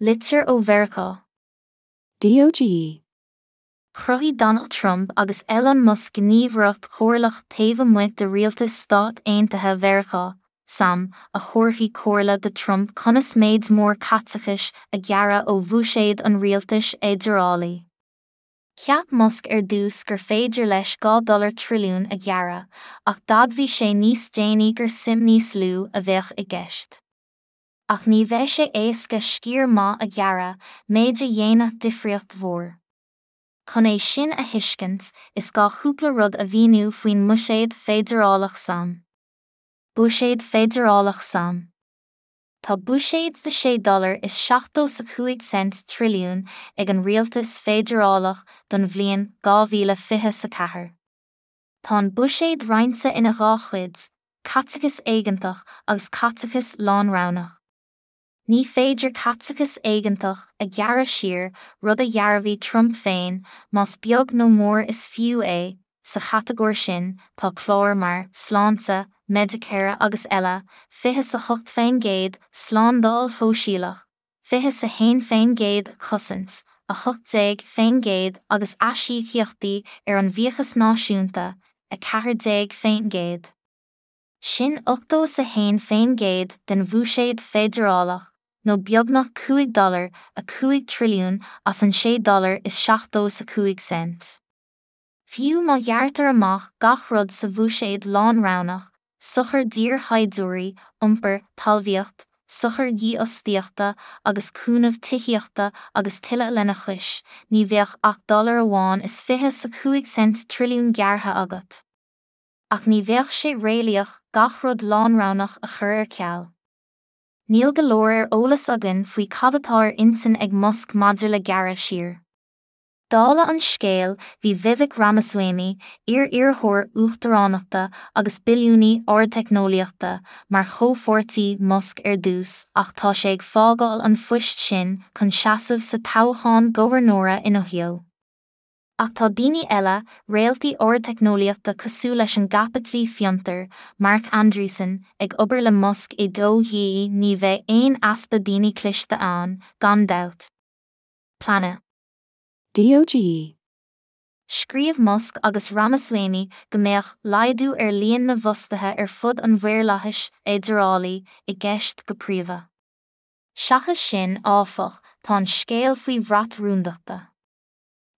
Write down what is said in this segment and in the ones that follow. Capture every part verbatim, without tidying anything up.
Litir ó Mheiriceá. D O G E. Chruthaigh Donald Trump agus Elon Musk gníomhaireacht chomhairleach taobh amuigh de rialtas Stát Aontaithe Mheiriceá, S A M, a thabharfaidh comhairle do Trump conas méid mór caiteachais a ghearradh ó bhuiséad an rialtais fheidearálaigh. Cheap Musk ar dtús gur féidir leis dhá dollar trilliún a ghearradh, ach d'admhaigh sé níos déanaí gur suim níos lú a bheadh i gceist. Ach ní bheidh sé éasca sciar maith a ghearradh, méid a dhéanfadh difríocht mhór. Chun é sin a thuiscint, is gá cúpla rud a mhíniú faoin mbuiséad feidearálach S A M. Buiséad feidearálach S A M. Tá buiséad de sé dollar is seachtó sa cúig cent trilliún ag an rialtas feidearálach don bhliain dhá mhíle fiche sa ceathair. Tá an buiséad roinnte ina dhá chuid, caiteachas éigeantach agus caiteachas lánroghnach. Ní féidir caiteachas éigeantach a ghearradh siar, rud a dhearbhaigh Trump féin, más beag nó mór is fiú é. Sa chatagóir sin tá cláir mar sláinte, Medicare agus eile, fiche sa hocht faoin gcéad, slándáil shóisialach, fiche sa haon faoin gcéad, cosaint, a hocht déag faoin gcéad, agus aisíocaíochtaí ar an bhfiachas náisiúnta, a ceathair déag faoin gcéad. Sin ochtó sa haon faoin gcéad den bhuiséad feidearálach, nó beagnach cúig dollar a cúig trilliún as an sé dollar is seachtó sa cúig cent. Fiú má ghearrtar amach gach rud sa bhuiséad lánroghnach, sochair d'iarshaighdiúirí, iompar, talmhaíocht, sochair dhífhostaíochta agus cúnamh tithíochta agus tuilleadh lena chois, ní bheadh ach dollar amháin is fiche sa cúig cent trilliún gearrtha agat. Ach ní bheadh sé réalaíoch gach rud lánroghnach a chur ar ceal. Níl go leor ar eolas againn faoi cad atá ar intinn ag Musk maidir le gearradh siar. Dála an scéil, bhí Vivek Ramaswamy, iar-iarrthóir uachtaránachta agus billiúnaí ardteicneolaíochta, mar chomhpháirtí Musk ar dtús ach tá sé ag fágáil an phoist sin chun seasamh sa toghchán gobharnóra in Ohio. Ach tá daoine eile, réaltaí ardteicneolaíochta cosúil leis an gcaipitlí fiontair, Marc Andreessen, ag obair le Musk i D O G E. Ní bheidh aon easpa daoine cliste ann, gan dabht. Plean. D O G E. Scríobh Musk agus Ramaswamy go mbeadh laghdú ar líon na bhfostaithe ar fud an mhaorlathais fheidearálaigh i gceist go príomha. Seachas sin, áfach, tá an scéal faoi bhrat rúndachta.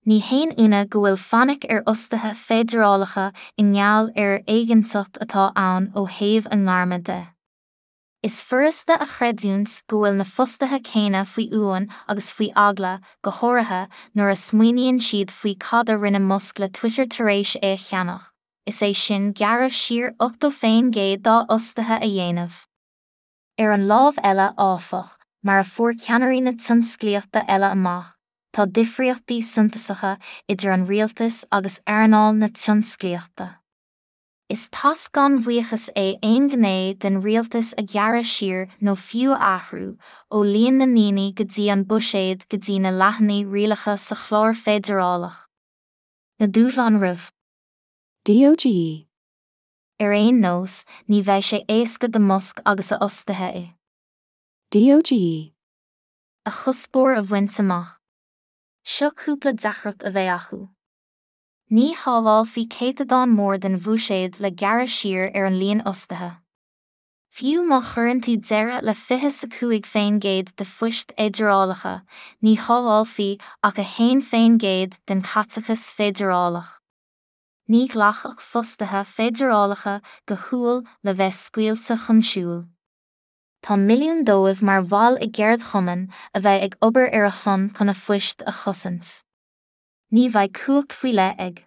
Ní haon ionadh go bhfuil fainic ar fhostaithe feidearálacha i ngeall ar an éiginnteacht atá ann ó thaobh a ngairme de. Is furasta a chreidiúint go bhfuil na fostaithe céanna faoi uain agus faoi eagla, go háirithe nuair a smaoiníonn siad faoi cad a rinne Musk le Twitter tar éis é a cheannach, is é sin gearradh siar ochtó faoin gcéad dá fhostaithe a dhéanamh. Ar an lámh eile, áfach, mar a fuair ceannairí na tionsclaíochta eile amach, tá difríochtaí suntasacha idir an rialtas agus earnáil na tionsclaíochta. Is tasc gan bhuíochas é aon ghné den rialtas a ghearradh siar nó fiú a athrú, ó líon na ndaoine go dtí an buiséad go dtí na leathanaigh rialacha sa chlár feidearálach. Na dúshláin roimh. D O G E. Ar aon nós, ní bheidh sé éasca do Musk agus a fhostaithe i. D O G E. A chuspóir a bhaint amach. Seo cúpla deacracht a bheidh acu. Ní shábhálfaí céatadán mór den bhuiséad le gearradh siar ar an líon fhostaithe. Fiú má chuireann tú deireadh le fiche sa cúig faoin gcéad de phoist fheidearálacha, ní shábhálfaí ach a haon faoin gcéad den chaiteachas feidearálach. Ní ghlacfadh fostaithe feidearálacha go humhal le bheith scaoilte chun siúil. Tá milliún dóibh mar bhaill i gceardchumainn a bheidh ag obair ar a shon chun a bpoist a chosaint. Ní bheidh cumhacht faoi leith ag.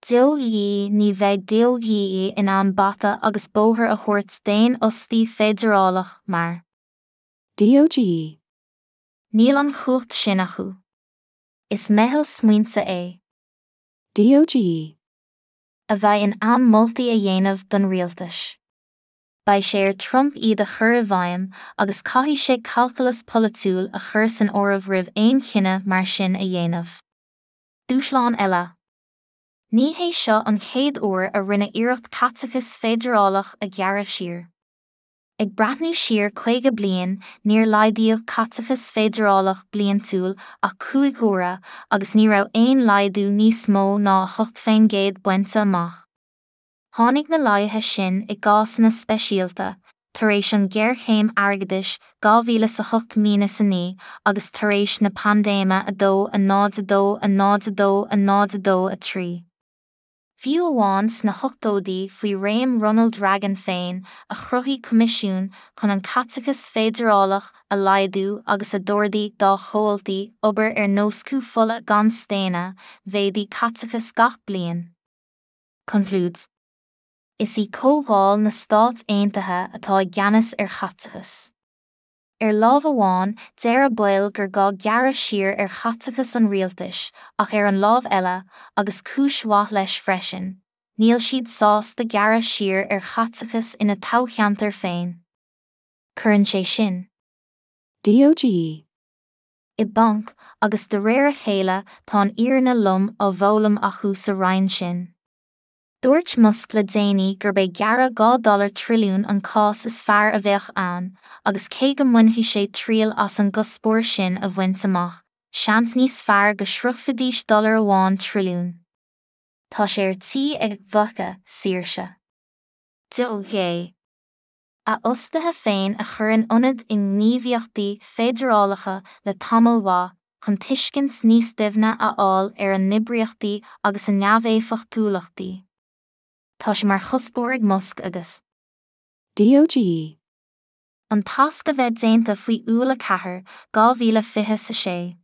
D O G E. Ní bheidh D O G E in ann bata agus bóthar a thabhairt d'aon fhostaí feidearálach mar. D O G E. Níl an chumhacht sin acu. Is meitheal smaointe é. D O G E. A bheidh in ann moltaí a dhéanamh don rialtas. Beidh sé ar Trump iad a chur i bhfeidhm agus caithfidh sé calcalas polaitiúil a chur san áireamh roimh aon chinneadh mar sin a dhéanamh. Dúshlán eile. Ní hé seo an chéad uair a rinneadh iarracht caiteachas feidearálach a ghearradh siar. Ag breathnú siar caoga bliain, níor laghdaíodh caiteachas feidearálach bliantúil ach cúig huaire agus ní raibh aon laghdú níos mó ná a hocht faoin gcéad bainte amach. Tháinig na laghduithe sin i gcásanna speisialta, tar éis an ghéarchéim airgeadais dhá mhíle is a hocht míle a naoi agus tar éis na paindéime a dó a náid a dó a náid a dó a náid a dó a trí. Fiú amháin sna hochtóidí faoi réim Ronald Reagan féin, a chruthaigh coimisiún chun an caiteachas feidearálach a laghdú agus a d'ordaigh dá chomhaltaí obair ar nós cú fola gan staonadh, mhéadaigh caiteachas gach bliain. Concludes. Is í Comhdháil na Stát Aontaithe atá i gceannas ar chaiteachas. Ar lámh amháin, deir a baill gur gá gearradh siar ar chaiteachas an rialtais, ach ar an lámh eile, agus cúis mhaith leis freisin, níl siad sásta gearradh siar ar chaiteachas ina toghcheantar féin. Cuireann sé sin D O G E. I bponc, agus de réir a chéile tá an fhírinne lom á bhfoghlaim acu sa roinn sin. Dúirt Musk le déanaí gurb é gearradh dhá dollar trilliún an cás is fearr a bheadh ann, agus cé go mbainfidh sé triail as an gcuspóir sin a bhaint amach, seans níos fearr go sroichfidís dollar amháin trilliún. Tá sé ar tí ag bhfaca saoirse. D O G. A fhostaithe féin a chur in ionad i ngníomhaíochtaí feidearálacha le tamall mhaith, chun tuiscint níos doimhne a fháil ar a n-oibríochtaí agus a neamhéifeachtúlachtaí. Tá sé mar chuspóir ag Musk agus D O G E. An tasc a bheith déanta faoi Iúil a ceathair, dhá mhíle fiche a sé.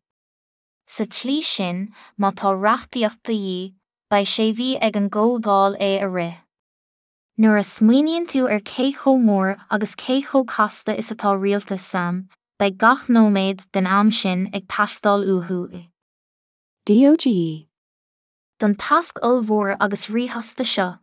Sa tslí sin, má tá reachtaíocht de dhíth, beidh sé mhí ag an gcomhdháil é a rith. Nuair a smaoiníonn tú ar cé chomh mór agus cé chomh casta is atá rialtas S A M, beidh gach nóiméad den am sin ag teastáil uathu i. D O G E. Don tasc ollmhór agus ríchasta seo.